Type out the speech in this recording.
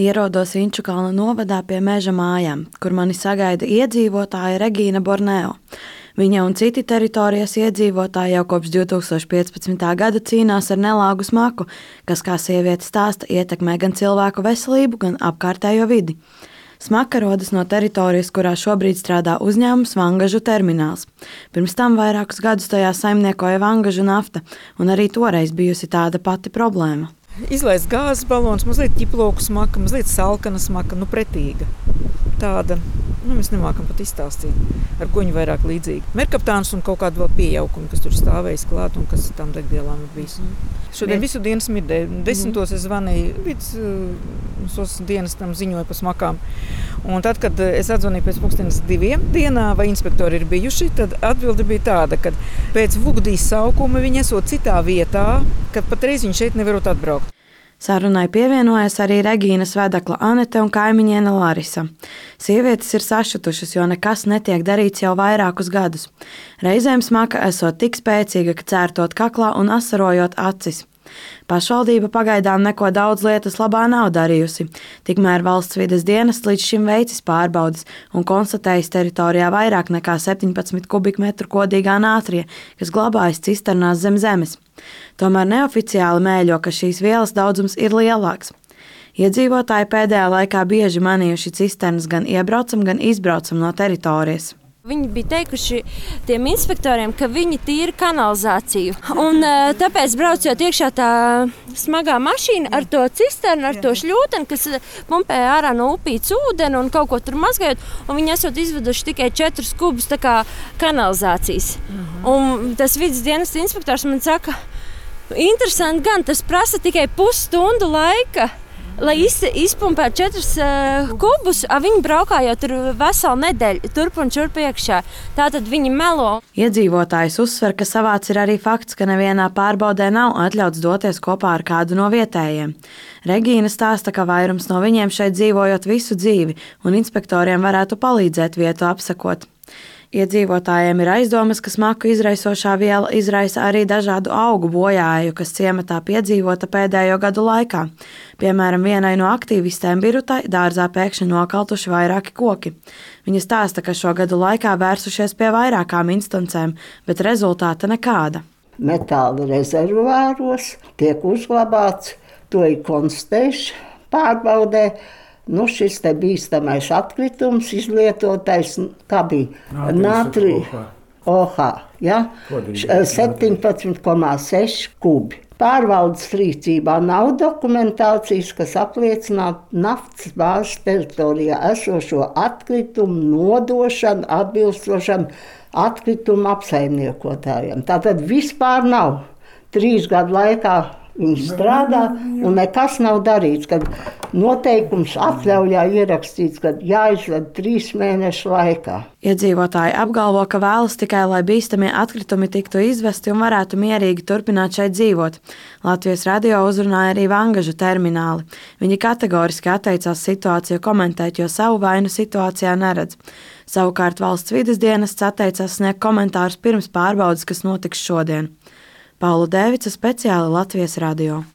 Ierodos Inčukalna novadā pie Meža mājām, kur mani sagaida iedzīvotāja Regīna Borneo. Viņa un citi teritorijas iedzīvotāji jau kopš 2015. gada cīnās ar nelāgu smaku, kas, kā sieviete stāsta, ietekmē gan cilvēku veselību, gan apkārtējo vidi. Smaka rodas no teritorijas, kurā šobrīd strādā uzņēmums Vangažu termināls. Pirms tam vairākus gadus tajā saimniekoja Vangažu nafta, un arī toreiz bijusi tāda pati problēma. Izlaist gāzes balons, mazliet ķiploku smaka, mazliet salkana smaka, pretīga. Tāda, mēs nemākam pat izstāstīt, ar ko viņi vairāk līdzīgi. Merkaptāns un kaut kādu vēl piejaukumi, kas tur stāvējis klāt un kas tām degvielām ir bijis. Šodien visu dienu smirdēju. 10. es zvanīju vidas dienestam, ziņoju par smakām. Un tad, kad es atzvanīju pēc 2:00 dienā, vai inspektori ir bijuši, tad atbilde bija tāda, ka pēc Vugdīs saukuma viņi esot citā vietā, kad patreiz viņi šeit nevarot atbraukt. Sarunai pievienojas arī Regīnas vedekla Anete un kaimiņiene Larisa. Sievietes ir sašutušas, jo nekas netiek darīts jau vairākus gadus. Reizēm smaka esot tik spēcīga, ka cērtot kaklā un asarojot acis. Pašvaldība pagaidām neko daudz lietas labā nav darījusi. Tikmēr valsts vides dienests līdz šim veicis pārbaudes un konstatējis teritorijā vairāk nekā 17 kubikmetru kodīgā nātrija, kas glabājas cisternās zem zemes. Tomēr neoficiāli mēļo, ka šīs vielas daudzums ir lielāks. Iedzīvotāji pēdējā laikā bieži manījuši cisternas gan iebraucam, gan izbraucam no teritorijas. Viņi bija teikuši tiem inspektoriem, ka viņi tīra kanalizāciju. Un tāpēc braucot iekšā tā smagā mašīna ar to cisternu, ar to šļūteni, kas pumpē ārā no upītes ūdeni un kaut ko tur mazgājot. Un viņi esot izveduši tikai 4 kubus tā kā kanalizācijas. Un tas vides dienas inspektors man saka, interesanti gan, tas prasa tikai pusstundu laika. Lai izpumpētu 4 kubus, viņi braukā jau tur veselu nedēļu, turp un šurp iekšā. Tātad viņi melo. Iedzīvotājs uzsver, ka savāds ir arī fakts, ka nevienā pārbaudē nav atļauts doties kopā ar kādu no vietējiem. Regīna stāsta, ka vairums no viņiem šeit dzīvojot visu dzīvi, un inspektoriem varētu palīdzēt vietu apsekot. Iedzīvotājiem ir aizdomas, ka smaku izraisošā viela izraisa arī dažādu augu bojāju, kas ciematā piedzīvota pēdējo gadu laikā. Piemēram, vienai no aktīvistēm Birutai dārzā pēkšņi nokaltuši vairāki koki. Viņa stāsta, ka šo gadu laikā vērsušies pie vairākām instancēm, bet rezultāta nekāda. Metāla rezervuāros tiek uzglabāts, to ir konstatējuši pārbaudē. Šis te bīstamais atkritums izlietotais, kā bija nātrija OH, 17,6 kubi. Pārvaldes rīcībā nav dokumentācijas, kas apliecinātu naftas bāzes teritorijā esošo atkritumu nodošanu atbilstošam atkritumu apsaimniekotājiem. Tātad vispār nav 3 gadu laikā. Viņi strādā un nekas nav darīts, kad noteikums atļaujā ierakstīts, ka jāizved 3 mēnešu laikā. Iedzīvotāji apgalvo, ka vēlas tikai, lai bīstamie atkritumi tiktu izvesti un varētu mierīgi turpināt šeit dzīvot. Latvijas radio uzrunāja arī Vangažu termināli. Viņi kategoriski atteicās situāciju komentēt, jo savu vainu situācijā neredz. Savukārt valsts vides dienests atteicās sniegt komentārus pirms pārbaudes, kas notiks šodien. Paula Dēvica, speciāli Latvijas radio.